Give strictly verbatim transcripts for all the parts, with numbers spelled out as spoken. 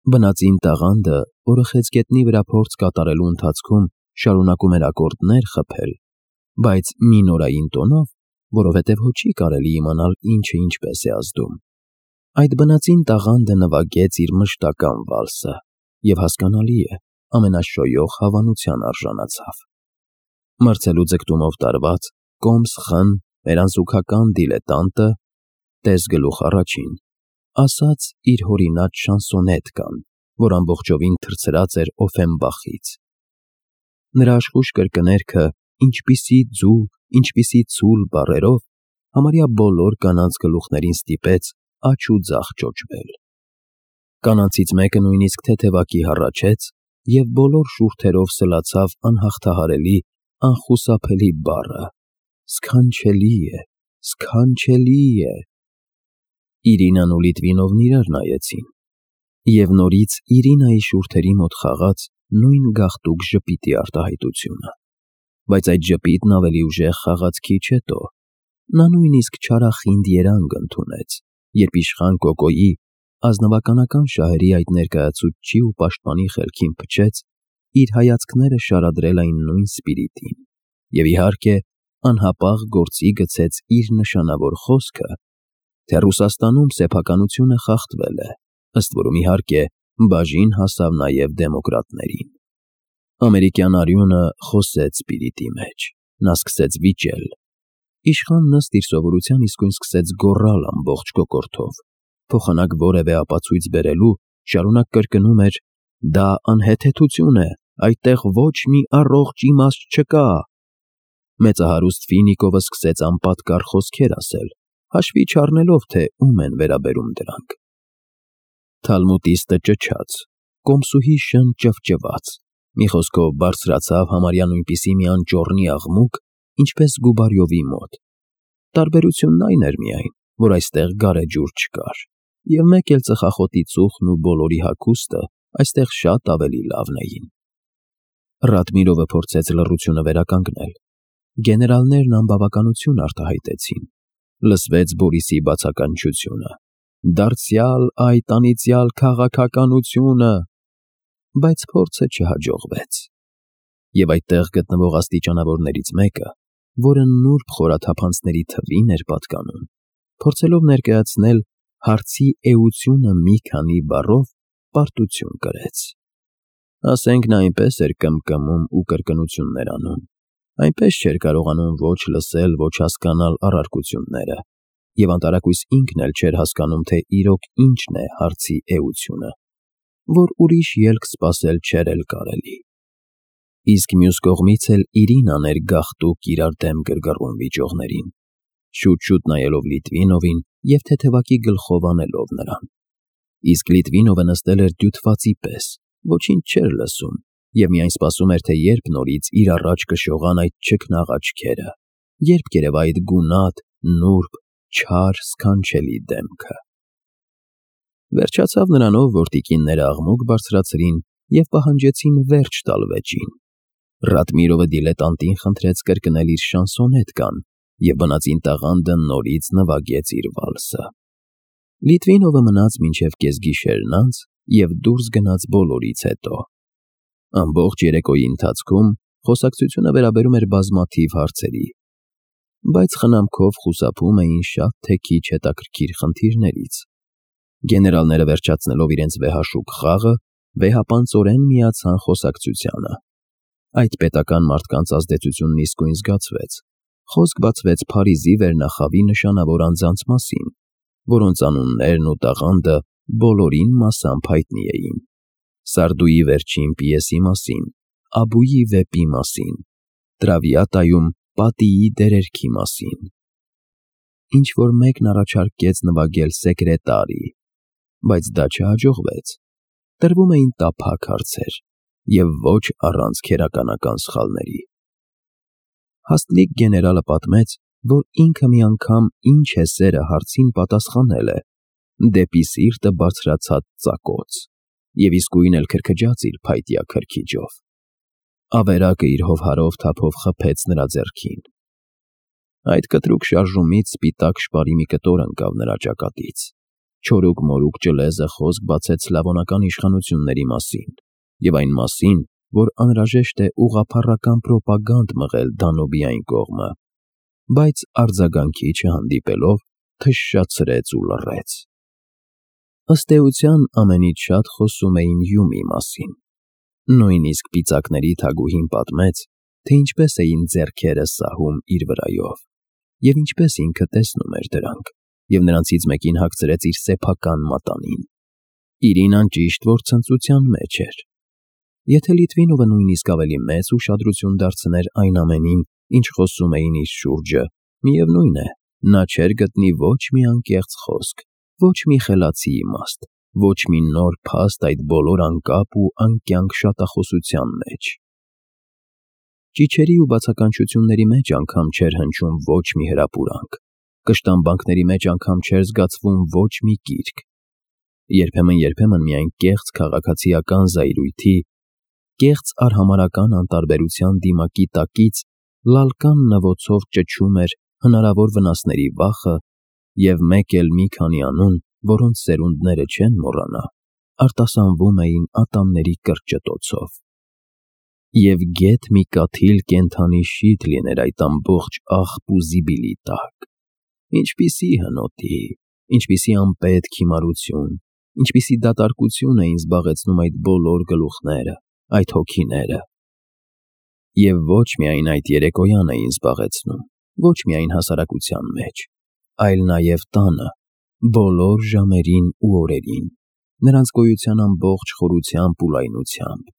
Բնածին տաղանդը, որը խեցգետնի վրա փորձ կատարելու ընթացքում շարունակում էր ակորդներ խփել, բայց մինորային տոնով, որովհետև հո չի կարելի իմանալ ինչը ինչպես է ազդում, այդ բնածին տաղանդը նվագեց իր մշտական վալսը և հասկանալի է, ամենաշոյող հավանության արժանացավ։ Մրցելու ձգտումով տարված, կոմս-խն, մերանզուգական դիլետանտը, տես գլուխ առաջին, ասաց իր հորինած շանսոնետկան, որ ամբողջովին թռցրած էր Օֆենբախից։ Նրա աշխույժ կրկներքը, ինչպիսի ձու, ինչպիսի ցուլ բառերով, համարյա բոլոր կանանց գլուխներին ստիպեց աջ ու ձախ ճոճվել։ Կանանցից մեկը նույնիսկ թեթևակի հառաչեց և բոլոր շուրթերով սլացավ անհաղթահարելի, անխուսափելի բառը. «Սքանչելի է, սքանչելի է»։ Իրինան ու Լիտվինովն իրար նայեցին, և նորից Իրինայի շուրթերի մոտ խաղաց նույն գաղտուկ ժպիտի արտահայտությունը, բայց այդ ժպիտն ավելի ուժեղ խաղաց քիչ հետո, նա նույնիսկ չարախինդ երանգ ընդունեց, երբ իշխան Կոկոյի, ազնվականական շահերի այդ ներկայացուցչի ու պաշտպանի խելքին փչեց իր հայացքները շարադրել այն նույն սպիրիտին, և իհարկե, անհապաղ գործի գցեց իր նշանավոր խոսքը, թե Ռուսաստանում սեփականությունը խախտվել է, ըստ որում, իհարկե, բաժին հասավ նաև դեմոկրատներին։ Ամերիկյան արյունը խոսեց սպիրիտի մեջ, նա սկսեց վիճել։ Իշխանն ըստ իր սովորության իսկույն սկսեց գոռալ ամբողջ կոկորդով, փոխանակ որևէ ապացույց բերելու, շարունակ կրկնում էր. «Դա անհեթեթություն է, այդտեղ ոչ մի առողջ իմաստ չկա»։ Մեծահարուստ Ֆինիկովը սկսեց անպատկառ խոսքեր ասել, հաշվի չառնելով, թե ում են վերաբերում դրանք։ Թալմուտիստը ճչաց, կոմսուհի շն ճվճվաց, մի խոսքով բարձրացավ համարյա նույնպիսի մի անճոռնի աղմուկ, ինչպես Գուբարյովի մոտ։ Տարբերությունն այն էր միայն, որ այստեղ գարեջուր չկար, և մեկ էլ ծխախոտի ծուխն ու բոլորի հագուստը այստեղ շատ ավելի լավն էին։ Ռադմիրովը փորձեց լռությունը վերականգնել։ Գեներալներն անբավականություն արտահայտեցին։ Լսվեց Բորիսի բացականչությունը. «Դարձյալ այդ անիծյալ քաղաքականությունը», բայց փորձը չհաջողվեց։ Եվ այդտեղ գտնվող աստիճանավորներից մեկը, որը նուրբ խորաթափանցների թվին էր պատկանում, փորձելով ներկայացնել հարցի էությունը մի քանի բառով, պարտություն կրեց։ Ասենք նա այնպես էր կմկմում ու կրկնություններ անում, այնպես չէր կարողանում ոչ լսել, ոչ հասկանալ առարկությունները, և անտարակույս ինքն էլ չէր հասկանում, թե իրոք ինչն է հարցի էությունը, որ ուրիշ ելք սպասել չէր էլ կարելի։ Իսկ մյուս կողմից էլ Իրինան էր գաղտուկ իրար դեմ գրգռում վիճողներին, շուտ-շուտ նայելով Լիտվինովին և թեթևակի գլխով անելով նրան։ Իսկ Լիտվինովը նստել էր դյութվածի պես, ոչինչ չէր լսում և միայն սպասում էր, թե երբ նորից իր առաջ կշողան այդ չքնաղ աչքերը, երբ կերևա այդ գունատ, նուրբ, չար, սքանչելի դեմքը։ Վերջացավ նրանով, որ տիկինները աղմուկ բարձրացրին և պահանջեցին վերջ տալ վեճին։ Ռադմիրովը դիլետանտին խնդրեց կրկնել իր շանսոնետկան, և բնածին տաղանդը նորից նվագեց իր վալսը։ Լիտվինովը մնաց մինչև կեսգիշերն անց և դուրս գնաց բոլորից հետո։ Ամբողջ երեկոյի ընթացքում խոսակցությունը վերաբերում էր բազմաթիվ հարցերի, բայց խնամքով խուսափում էին շատ թե քիչ հետաքրքիր խնդիրներից։ Գեներալները վերջացնելով իրենց վեհաշուկ խաղը, վեհապանծորեն միացան խոսակցությանը։ Այդ պետական մարդկանց ազդեցությունն իսկույն զգացվեց։ Խոսք բացվեց Փարիզի վերնախավի նշանավոր անձանց մասին, որոնց անուններն ու տաղանդը բոլորին մասամբ հայտնի էին։ Սարդուի վերջին պիեսի մասին, Աբուի վեպի մասին, Տրավիատայում պատիի դերերքի մասին։ Ինչ-որ մեկն առաջարկեց նվագել Սեկրետարի, բայց դա չհաջողվեց։ Տրվում էին տափակ հարցեր և ոչ առանց քերականական սխալների։ Հաստլիկ գեներալը պատմեց, որ ինքը մի անգամ «Ինչ է սերը» հարցին պատասխանել է «Դեպի սիրտը բարձրացած ծակոց» և իսկույն էլ քրքջաց իր փայտյա քրքիջով։ Ավերակը իր հովհարով թափով խփեց նրա ձեռքին։ Այդ կտրուկ շարժումից սպիտակ շպարի մի կտոր ընկավ նրա ճակատից։ Չորուկ-մորուկ ճլեզը խոսք բացեց սլավոնական իշխանությունների մասին և այն մասին, որ անհրաժեշտ է ուղղափառական պրոպագանդ մղել Դանուբի այն կողմը, բայց արձագանքի չհանդիպելով թշշացրեց ու լռեց։ Ըստ էության ամենից շատ խոսում էին Հյումի մասին։ Նույնիսկ պիծակների թագուհին պատմեց, թե ինչպես էին ձեռքերը սահում իր վրայով, և ինչպես ինքը տեսնում էր դրանք, և նրանցից մեկին հագցրեց իր սեփական մատանին։ Իրինան ճիշտ որ ցնծության մեջ էր։ Եթե Լիտվինովը նույնիսկ ավելի մեծ ուշադրություն դարձներ այն ամենին, ինչ խոսում էին իր շուրջը, միևնույն է, նա չէր գտնի ոչ մի անկեղծ խոսք, ոչ մի խելացի իմաստ, ոչ մի նոր փաստ այդ բոլոր անկապ ու անկյանք շատախոսության մեջ։ Ճիչերի ու բացականչությունների մեջ անգամ չէր հնչում ոչ մի հրապուրանք, կշտամբանքների մեջ անգամ չէր զգացվում ոչ մի կիրք։ Երբեմն-երբեմն միայն կեղծ քաղաքացիական զայրույթի, կեղծ արհամարհական անտարբերության դիմակի տակից լալկան նվոցով ճչում էր հնարավոր վնասների վախը, և մեկ էլ մի քանի անուն, որոնց սերունդները չեն մոռանա, արտասանվում էին ատամների կրճտոցով։ Եվ գեթ մի կաթիլ կենդանի շիթ լիներ այդ ամբողջ աղբ ու զիբիլի տակ։ Ինչպիսի հնոտի, ինչպիսի անպետք հիմարություն, ինչպիսի դատարկություն էին զբաղեցնում այդ բոլոր գլուխները, այդ հոգիները։ Եվ ոչ միայն այդ երեկոյան էին զբաղեցնում, ոչ միայն հասարակության մեջ, այլ նաև տանը, բոլոր ժամերին ու օրերին, նրանց գոյության ամբողջ խորությամբ ու լայնությամբ։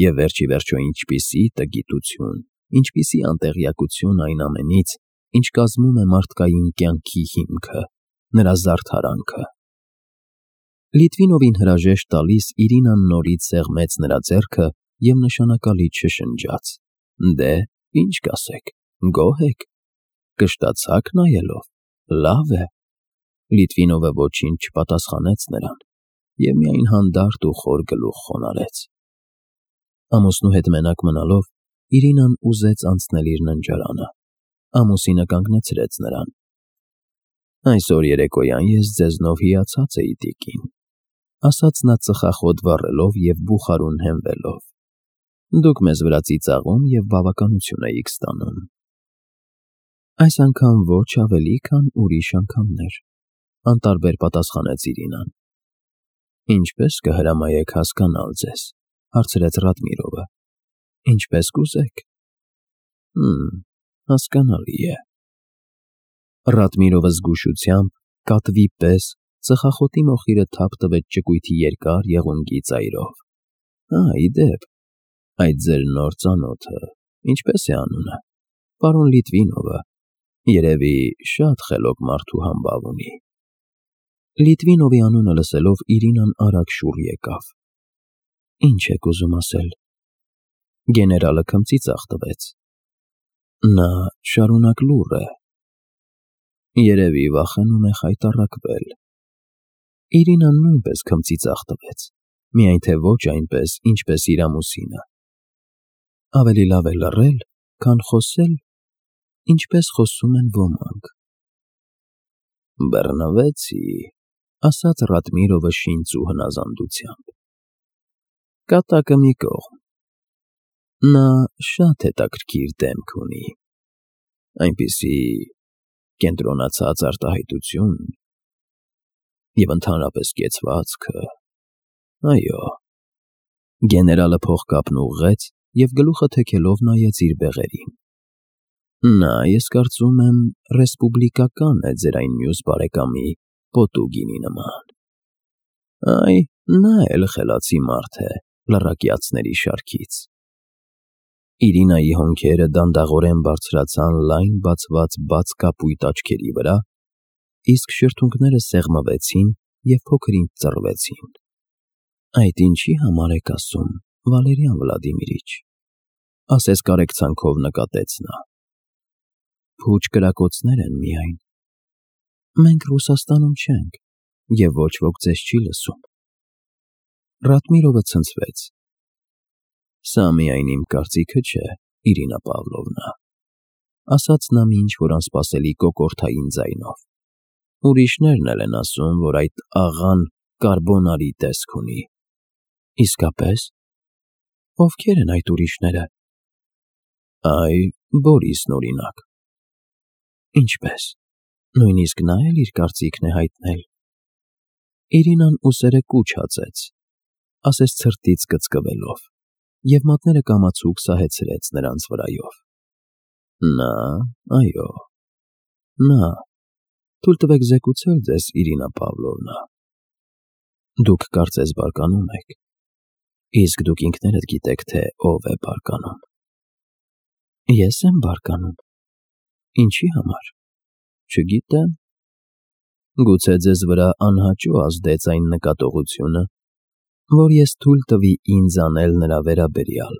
Եվ վերջիվերջո ինչպիսի տգիտություն, ինչպիսի անտեղյակություն այն ամենից, ինչ կազմում է մարդկային կյանքի հիմքը, նրա զարդարանքը։ Լիտվինովին հրաժեշտ տալիս Իրինան նորից սեղմեց նրա ձեռքը և նշանակալից շշնջաց. «Դե, ինչ կասեք, գոհ եք, կշտացա՞ք նայելով, լավ է»։ Լիտվինովը ոչինչ չպատասխանեց նրան և միայն հանդարտ ու խոր գլուխ խոնարհեց։ Ամուսնու հետ մենակ մնալով Իրինան ուզեց անցնել իր ննջարանը։ Ամուսինը կանգնեցրեց նրան։ «Այսօր երեկոյան ես ձեզնով հիացած էի, տիկին», ասաց նա ծխախոտ վառելով և բուխարուն հենվելով։ «Դուք մեզ վրա ծիծաղում և բավականություն էիք ստանում»։ «Այս անգամ ոչ ավելի, քան ուրիշ անգամներ», անտարբեր պատասխանեց Իրինան։ «Ինչպե՞ս կհրամայեք հասկանալ ձեզ», հարցրեց Ռադմիրովը։ «Ինչպես կուզեք»։ «Հըմ, հասկանալի է»։ Ռադմիրովը զգուշությամբ, կատվի պես, ծխախոտի մոխիրը թափ տվեց ճկույթի երկար եղունգի ծայրով։ «Հա, ի դեպ, այդ ձեր նոր ծանոթը, ինչպե՞ս է անունը, պարոն Լիտվինովը, երևի շատ խելոք մարդու համբավ ունի»։ Լիտվինովի անունը լսելով Իրինան արագ շուռ եկավ։ «Ինչ եք ուզում ասել»։ Գեներալը քմծիծաղ տվեց։ «Նա շարունակ լուռ է։ Երևի վախենում է խայտառակվել»։ Իրինան նույնպես քմծիծաղ տվեց, միայն թե ոչ այնպես, ինչպես իր ամուսինը։ «Ավելի լավ է լռել, քան խոսել, ինչպես խոսում են ոմանք»։ «Բռնվեցի», ասաց Ռադմիրովը շինծ ու հնազանդությամբ։ «Կատակը մի կողմ։ Նա շատ հետաքրքիր դեմք ունի, այնպիսի կենտրոնացած արտահայտություն և ընդհանրապես կեցվածքը, այո»։ Գեներալը փողկապն ուղղեց և գլուխը թեքելով նայեց իր բեղերին։ «Նա, ես կարծում եմ, ռեսպուբլիկական է ձեր այն մյուս բարեկամի Պոտուգինի նման։ Այ, նա էլ խելացի մարդ է լռակյացների շարքից»։ Իրինայի հոնքերը դանդաղորեն բարձրացան լայն բացված բաց կապույտ աչքերի վրա, իսկ շրթունքները սեղմվեցին և փոքր-ինչ ծռվեցին։ «Այդ ինչի համար եք ասում, Վալերիան Վլադիմիրիչ», ասես կարեկցանքով նկատեց նա։ «Փուչ կրակոցներ են միայն։ Մենք Ռուսաստանում չենք, և ոչ ոք ձեզ չի լսում»։ Ռադմիրովը ցնցվեց։ «Սա միայն իմ կարծիքը չէ, Իրինա Պավլովնա», ասաց նա մի ինչ֊որ անսպասելի կոկորդային ձայնով։ Ուրիշներն էլ են ասում, որ այդ աղան կարբոնարի տեսք ունի։ Իսկապես, ովքեր են այդ ուրիշները։ Այ, Բորիսն օրինակ։ Ինչպես, նույնիսկ նա էլ իր կարծիքն է հայտնել։ Իրինան ուսերը կուչ հաձեց, ասես ցրտից կծկվելով, և մատները կամացուկ սահեցրեց նրանց վրայով։ Նա, այո, նա, թույլ տվեք զեկուցել ձեզ, Իրինա Պավլովնա։ Դուք կարծես բարկանում եք, իսկ դուք ինքներդ գիտեք, թե ով է բարկանում։ Ես եմ բարկանում։ Ինչի համար։ Չգիտեմ։ Գուցե ձեզ վրա անհաճո ազդեց այն նկատողությունը, որ ես թույլ տվի ինձ անել նրա վերաբերյալ։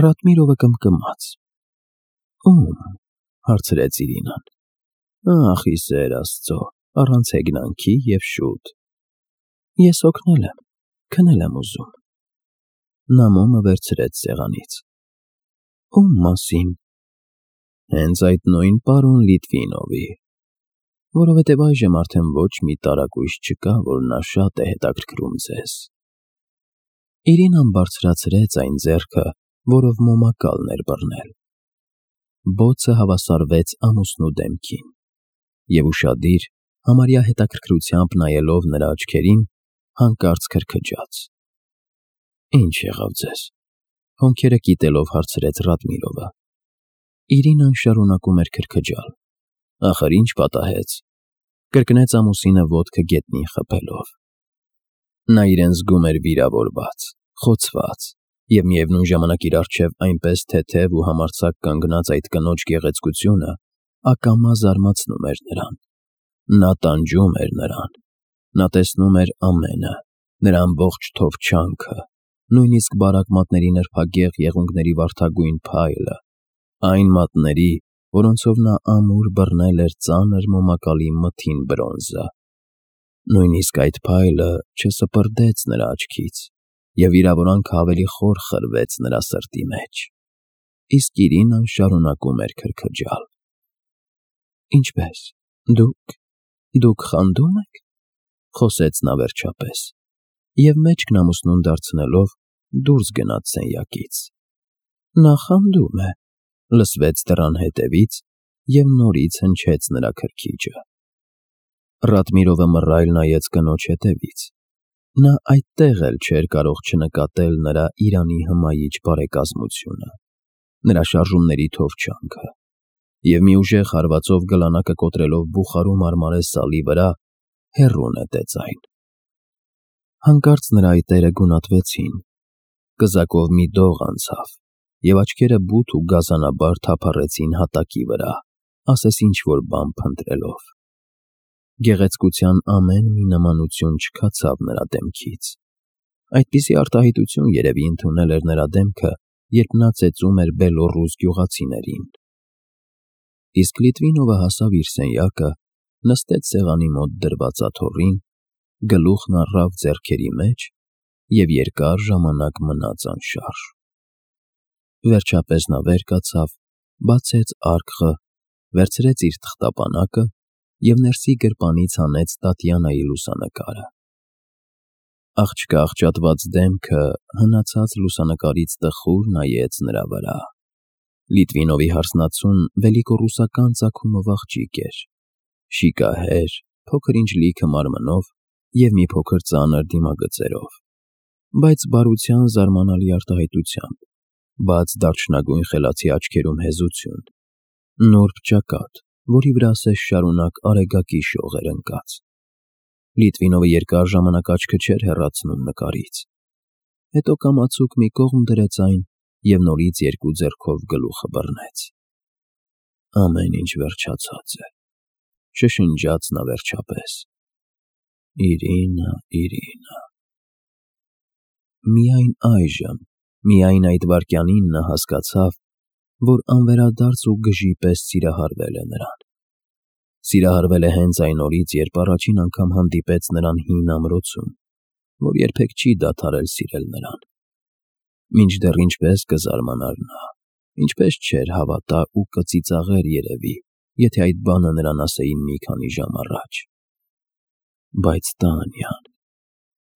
Ռադմիրովը կմկմաց։ Ում, հարցրեց Իրինան։ Ախ, ի սեր Աստծո, առանց հեգնանքի և շուտ։ Ես օգնել եմ, քնել եմ ուզում։ Նա մոմը վերցրեց սեղանից։ Ում մասին։ Հենց այդ նույն պարոն Լիտվինովի, որովհետև այժմ արդեն ոչ մի տարակույս չկա, որ նա շատ է հետաքրքրում ձեզ։ Իրինան բարձրացրեց այն ձեռքը, որով մոմակալն էր բռնել։ Բոցը հավասարվեց ամուսնու դեմքին, և ուշադիր, համարյա հետաքրքրությամբ նայելով նրա աչքերին, հանկարծ քրքջաց։ Ինչ եղավ ձեզ։ Հոնքերը կիտելով հարցրեց Ռադմիրովը։ Իրինան շարունակում էր քրքջալ։ Ախր ինչ պատահեց։ Կրկնեց ամուսինը ոտքը գետնին խփելով։ Նա իրեն զգում էր վիրավորված, խոցված, և միևնույն ժամանակ իր առջև այնպես թեթև ու համարձակ կանգնած այդ կնոջ գեղեցկությունը ակամա զարմացնում էր նրան։ Նա տանջում էր նրան։ Նա տեսնում էր ամենը, նրա ամբողջ թովչանքը, նույնիսկ բարակ մատների նրբագեղ եղունգների վարդագույն փայլը, այն մատների, որոնցով նա ամուր բռնել էր ծանր մոմակալի մթին բրոնզը։ Նույնիսկ այդ փայլը չսպրդեց նրա աչքից, և վիրավորանքը ավելի խոր խրվեց նրա սրտի մեջ։ Իսկ Իրինան շարունակում էր քրքջալ։ Ինչպե՞ս, դուք, դուք խանդո՞ւմ եք, խոսեց նա վերջապես, և մեջքն ամուսնուն դարձնելով դուրս գնաց սենյակից։ Նա խանդում է, լսվեց դռան հետևից, և նորից հնչեց նրա քրքիջը։ Ռադմիրովը մռայլ նայեց կնոջ հետևից։ Նա այդտեղ էլ չէր կարող չնկատել նրա իրանի հմայիչ բարեկազմությունը, նրա շարժումների թովչանքը, և մի ուժեղ հարվածով գլանակը կոտրելով բուխարու մարմարե սալի վրա, հեռու նետեց այն։ Հանկարծ նրա այտերը գունատվեցին, կզակով մի դող անցավ, և աչքերը բութ ու գազանաբար թափառեցին հատակի վրա, ասես ինչ-որ բան փնտրելով։ Գեղեցկության ամեն մի նմանություն չքացավ նրա դեմքից։ Այդպիսի արտահայտություն երևի ընդունել էր նրա դեմքը, երբ նա ծեծում էր Բելոռուս գյուղացիներին։ Իսկ Լիտվինովը հասավ իր սենյակը, նստեց սեղանի մոտ դրված աթոռին, գլուխն առավ ձեռքերի մեջ և երկար ժամանակ մնաց անշարժ։ Վերջապես նա վեր կացավ, բացեց արկղը, վերցրեց իր թղթապանակը և ներսի գրպանից հանեց Տատյանայի լուսանկարը։ Աղջկա աղճատված դեմքը հնացած լուսանկարից տխուր նայեց նրա վրա։ Լիտվինովի հարսնացուն վելիկոռուսական ծագումով աղջիկ էր, շիկահեր, փոքր ինչ լիքը մարմնով և մի փոքր ծանր դիմագծերով, բայց բարության զարմանալի արտահայտությամբ, բաց դարչնագույն խելացի աչքերում հեզություն, նուրբ ճակատ, որի վրա ասես շարունակ արեգակի շող էր ընկած։ Լիտվինովը երկար ժամանակ աչքը չէր հեռացնում նկարից, հետո կամացուկ մի կողմ դրեց այն և նորից երկու ձեռքով գլուխը բռնեց։ Ամեն ինչ վերջացած է, շշնջաց նա վերջապես։ Իրինա, Իրինա։ Միայն այժմ, միայն այդ վայրկյանին նա հասկացավ, որ անվերադարձ ու գժի պես սիրահարվել է նրան։ Սիրահարվել է հենց այն օրից, երբ առաջին անգամ հանդիպեց նրան հին ամրոցում, որ երբեք չի դադարել սիրել նրան։ Մինչդեռ ինչպես կզարմանար նա, ինչպես չէր հավատա ու կծիծաղեր երևի, եթե այդ բանը նրան ասեին մի քանի ժամ առաջ։ Բայց Տանյան,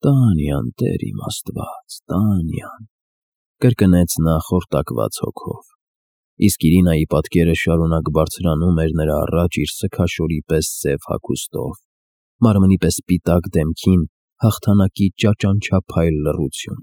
Տանյան, Տեր իմ Աստված, Տանյան, կրկնեց նա խորտակված հոգով, իսկ Իրինայի պատկերը շարունակ բարձրանում էր նրա առաջ իր սգաշորի պես սև հագուստով, մարմնի պես սպիտակ դեմքին հաղթանակի ճաճանչափայլ լռություն։